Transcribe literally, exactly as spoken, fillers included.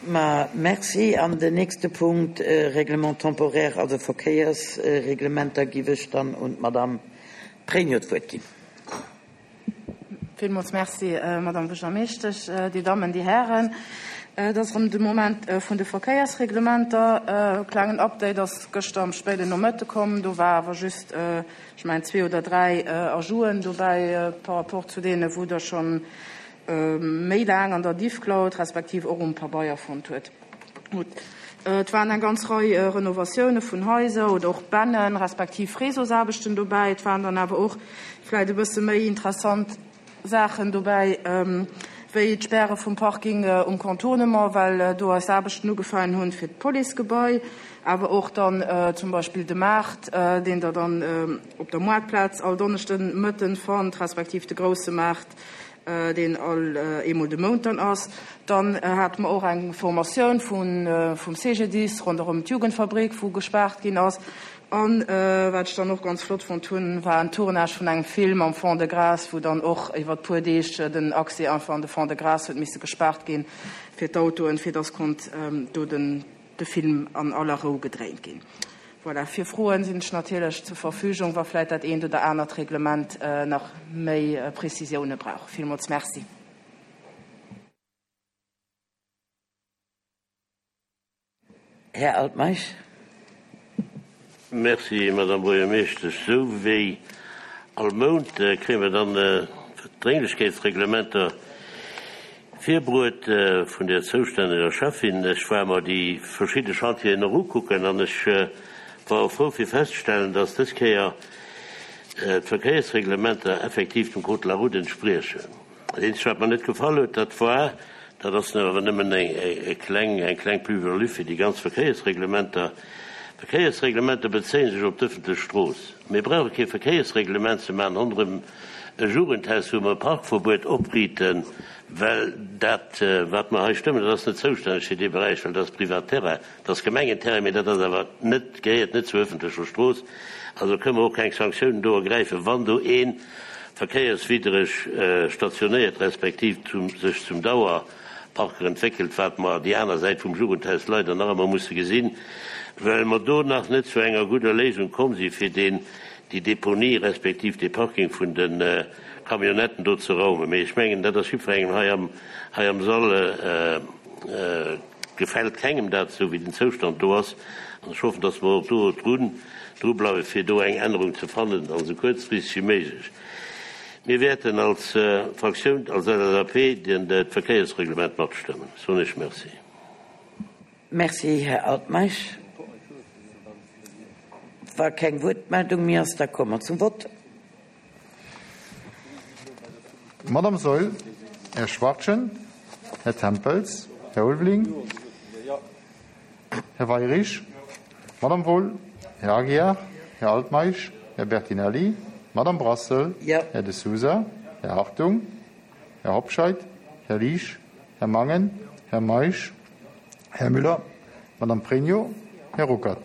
Ma merci. An den nächste Punkt, äh, Règlement temporaire, also Verkéiersreglementer, géif ech dann un d'Madame Pregno d'Wuert ginn. Villmools Merci, äh, Madame Buergermeeschtesch, äh, Dir Dammen, Dir Hären. Äh, dat ass erëm de Moment äh, vun de Verkéiersreglementer. Äh, klengen Update ass gëschter am spéiden Nomëtte komm. Do war awer just, äh, ech mengen, zwee oder dräi äh, Ajouten dobäi äh, par rapport zu deenen, wou Der schonn äh, méi laang an der Diffcloud, respektiv och um Pabeier fonnt hutt. Gutt. Äh, et waren eng ganz Rei äh, Renovatioune vun Haiser oder och Bännen, respektiv Réseausaarbechten dobäi. Et waren dann awer och vläicht e bësse méi interessant Saachen dobäi, ähm, wéi d'Späre vum Parking äh, um Contournement, well äh, do eis Aarbechten ugefaangen hunn fir d'Policegebai, awer och dann äh, zum Beispill de Maart, äh, deen Der dann äh, op der Moartplaz all Donneschden Mëtten fannt, respektiv de grousse Maart, äh, deen all äh, eemol de Mount dann ass. Dann äh, hate mer och eng Formatioun vun, äh, vum C G D I S ronderëm d'Jugendfabrik, wou gespaart ginn ass. An äh, wat ech dann och ganz flott fonnt hunn, war en Tournage vun engem Film am Fond-de-Gras, wou dann och iwwer puer Deeg äh, den Accès einfach an de Fond-de-Gras huet misse gespaart ginn fir d'Autoen, fir dass konnt ähm, do den, de Film an aller Rou gedréint ginn. Voilà, fir Froen sinn ech natierlech zur Verfügung, wa vläicht dat eent oder anert Reglement äh, nach méi äh, Prezisioune brauch. Villmools Merci. Här Altmeisch. Merci, Madame Buergermeeschtesch. Sou wéi all Mount äh, kréie mer dann äh, Drénglechkeetsreglementer virbruet äh, vun der zoustänneger Schäffin. Ech war mer déi verschidde Chantieren nach ukucken an ech äh, war frou fir festzestellen, dass dës Kéier äh, d'Verkéiersreglementer effektiv dem Code de la route entspriechen. Dat Eenzegt, wat mir net gefall huet, dat war, dat ass awer nëmmen eng, eng, kleng, eng kleng Plus-value fir déi ganz Verkéiersreglementer. Verkéiersreglementer bezéie sech op d'ëffentlech Strooss. Mir brauche kee Verkéiersreglement ze maachen ronderëm e Jugendhaus, wou mer Parkverbuet opriichten, well dat, äh, wat mer hei stëmmen, dat ass net zoustänneg fir dee Beräich, well dat ass Privatterrain, dat ass Gemengenterrain, mee dat ass awer net gehéiert net zur ëffentlecher Strooss. Also kënne mer och keng Sanktiounen do ergräifen, wann do ee verkéierswiddreg äh, stationéiert, respektiv zum, sech zum Dauerparker entwéckelt, wat mer déi aner Säit vum Jugendhaus leider nach ëmmer musse gesinn, well mer do nach net zu enger gudder Léisung komm si fir den déi Deponie respektiv de Parking vun den äh, Camionnetten do ze raumen. Mee ech mengen, dat ass jiddwerengem hei am, hei am Sall äh, äh, gefält kengem dat, sou wéi den Zoustand do ass. An ech hoffen, dass mer och do drun, dru bleiwe fir do eng Ännerung ze fannen, an sou kuerzfristeg wéi méiglech. Mir wäerten als äh, Fraktioun, als L S A P, den dat Verkéiersreglement matstëmmen. Soen ech Merci. Merci, Här Altmeisch. Wa keng Wuertmeldung méi ass, da komme mer zum Vott. Madame Saeul, Här Schwachtgen, Här Tempels, Här Ulveling, Här Weyrich, Madame Wohl, Här Aguiar, Här Altmeisch, Här Bertinelli, Madame Brassel, Ja. Här De Sousa, Här Hartung, Här Hobscheit, Här Liesch, Här Mangen, Här Meisch, Här Müller, Madame Pregno, Här Ruckert.